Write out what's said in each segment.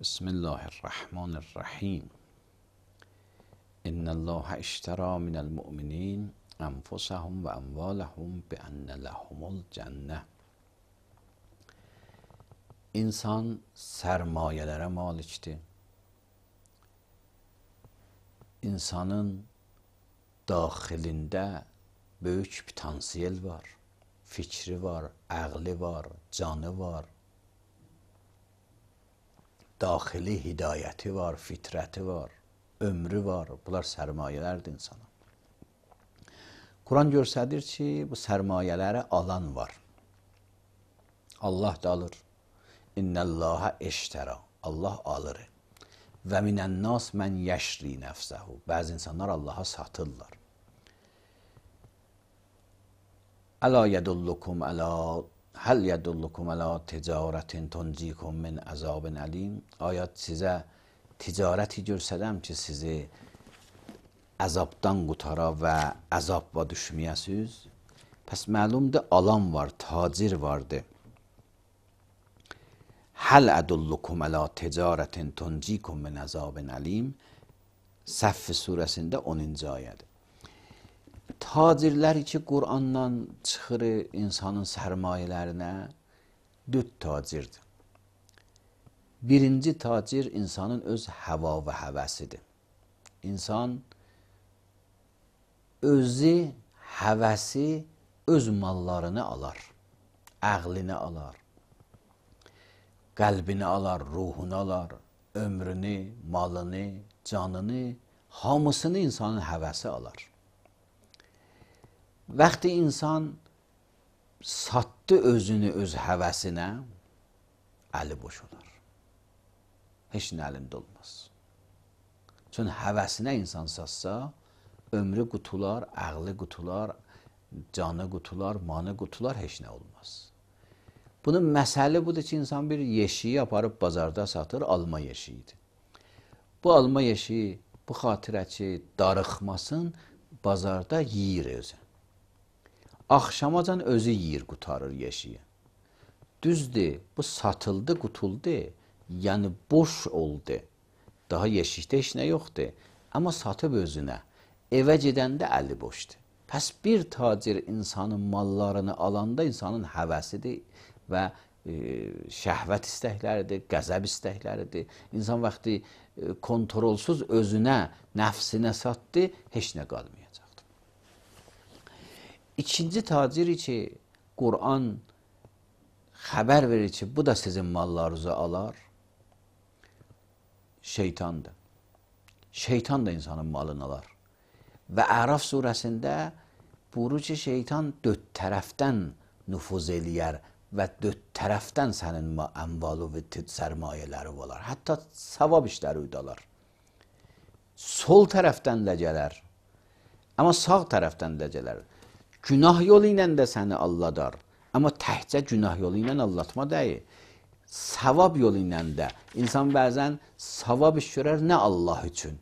بسم الله الرحمن الرحیم. ان الله اشترى من المؤمنین انفسهم و اموالهم بان لهم الجنه. İnsan sermayelere maliktir. İnsanın daxilində böyük potansiyel var. Fikri var, ağlı var, canı var. Daxili hidayəti var, fitrəti var, ömrü var. Bunlar sərmayələrdir insana. Quran göstərir ki, bu sərmayələri alan var. Allah da alır. İnnəllaha eştərə. Allah alır. Və minənnas mən yəşri nəfsəhu. Bəzi insanlar Allaha satırlar. Əla yədullukum əla Həl yədullukum əla ticarətin tuncikum min əzabin əlim. Ayət sizə ticarəti görsədəm ki, sizi əzabdan qutara və əzabla düşməyəsiz. Pəs məlumdur, alan var, tacir vardır. Həl ədullukum əla ticarətin tuncikum min əzabin əlim. Səff surəsində 10-cu ayədir. Tacirlər ki, Qur'andan çıxır insanın sərmayələrinə 4 tacirdir. Birinci tacir insanın öz həva və həvəsidir. İnsan özü, həvəsi öz mallarını alar, əqlini alar, qəlbini alar, ruhunu alar, ömrünü, malını, canını, hamısını insanın həvəsi alar. Vaxtı insan satdı özünü öz həvəsinə, əli boş olar. Heç nə əlində olmaz. Çünki həvəsinə insan satsa, ömrü qutular, əqli qutular, canı qutular, manı qutular, heç nə olmaz. Bunun məsəli budur ki, insan bir yeşiyi aparıb bazarda satır, alma yeşiyidir. Bu alma yeşiyi, bu xatirə ki, darıxmasın, bazarda yiyir özü. Axşamacan özü yiyir, qutarır yeşiyi. Düzdür, bu satıldı, qutuldu, yəni boş oldu. Daha yeşikdə heç nə yoxdur. Amma satıb özünə, evə gedəndə əli boşdur. Pəs bir tacir insanın mallarını alanda insanın həvəsidir və şəhvət istəkləridir, qəzəb istəkləridir. İnsan vaxtı kontrolsuz özünə, nəfsinə satdı, heç nə qalmayacaqdır. İkinci tacir ki, Qur'an xəbər verir ki, bu da sizin mallarınızı alar, şeytandır. Şeytan da insanın malını alar. Və Əraf surəsində buyurur ki, şeytan 4 tərəfdən nüfuz eləyər və 4 tərəfdən sənin əmvalı və sərmayələri olar. Hətta savab işləri udalar. Sol tərəfdən də gələr, amma sağ tərəfdən də gələr. Günah yolu ilə də səni alladar. Amma təhcə günah yolu ilə allatma deyil. Savab yolu ilə də. İnsan bəzən savab iş görər, nə Allah üçün?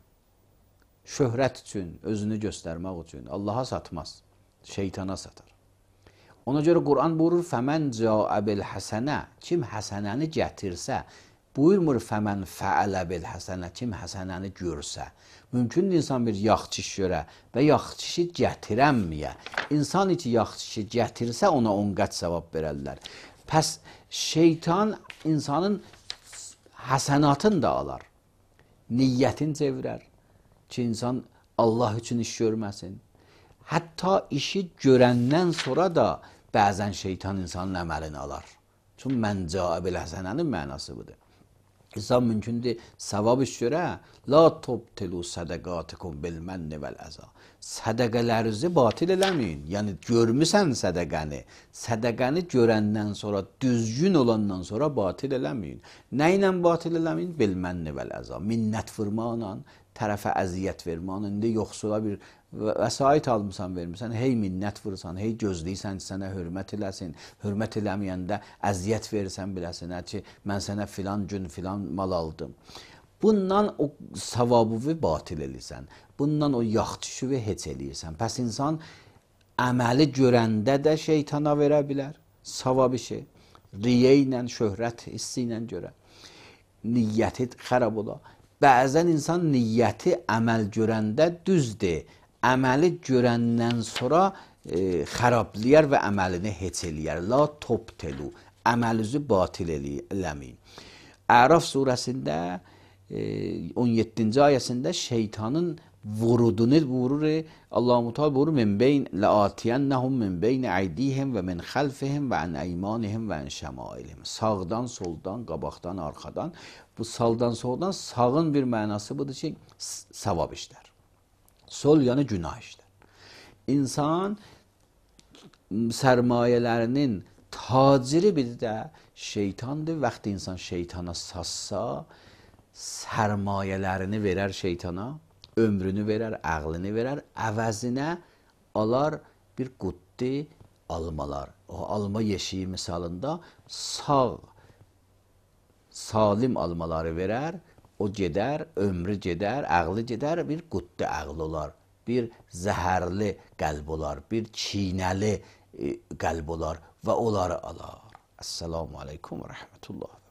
Şöhrət üçün, özünü göstərmək üçün. Allaha satmaz, şeytana satar. Ona görə Qur'an buyurur, fəmən cəə bil həsənə, kim həsənəni gətirsə, buyurmur fəmən fəələ bil həsənə, kim həsənəni görsə. Mümkündür insan bir yaxşı iş görə və yaxşı işi gətirənməyə. İnsan ki, yaxşı işi gətirsə, ona 10 qat savab verərlər. Pəs şeytan insanın həsənatını da alar. Niyyətini çevirər ki, insan Allah üçün iş görməsin. Hətta işi görəndən sonra da bəzən şeytan insanın əməlini alar. Çünki mən cəə bil həsənənin mənası budur. İnsan mümkündür savab iş görə, la tubtilu sədəqatikum bil mənni vəl əza. Sədəqələrinizi batil eləməyin. Yəni görmüsən sədəqəni. Sədəqəni görəndən sonra, düzgün olandan sonra batil eləməyin. Nə ilə batil eləməyin? Bil mənni vəl əza. Minnət vurmaqla, tərəfə əziyyət verməklə, indi yoxsula bir vəsait almısan, vermirsən, hey minnət vurursan, hey gözləyirsən ki, sənə hörmət eləsin, hörmət eləməyəndə əziyyət verirsən biləsinə ki, mən sənə filan gün filan mal aldım. Bundan o savabı batil eləyirsən, bundan o yaxşı heç eləyirsən. Pəs insan əməli görəndə də şeytana verə bilər, savab işi, riyə ilə, şöhrət hissi ilə görə. niyyəti xarab olar. Bəzən insan niyyəti əməl görəndə düzdür, əməli görəndən sonra xarablayar və əməlini heç eləyər. La tobtelu, əməlinizi batil eləməyin. Əraf surəsində 17-ci ayəsində şeytanın vurudunu vurur. Allah-u Teala vurur min beyn la'atiyennahum min beyn aydihim və min xalfihim və an eymanihim və an şemailihim. Sağdan, soldan, qabaqdan, arxadan. Bu sağdan, soldan, sağın bir mənası budur ki, savab işlər. Sol yəni günah işlər. İnsan sərmayələrinin taciri bir də şeytandır. Vaxtı insan şeytana sassa, sərmayələrini verər şeytana, ömrünü verər, ağlını verər, əvəzinə alar bir quddi almalar. O alma yeşiyi misalında sağ, salim almaları verər, o gedər, ömrü gedər, ağlı gedər, bir quddi ağlı olar, bir zəhərli qəlb olar, bir çiynəli qəlb olar və onları alar. Esselamu aleykum və rəhmətullah.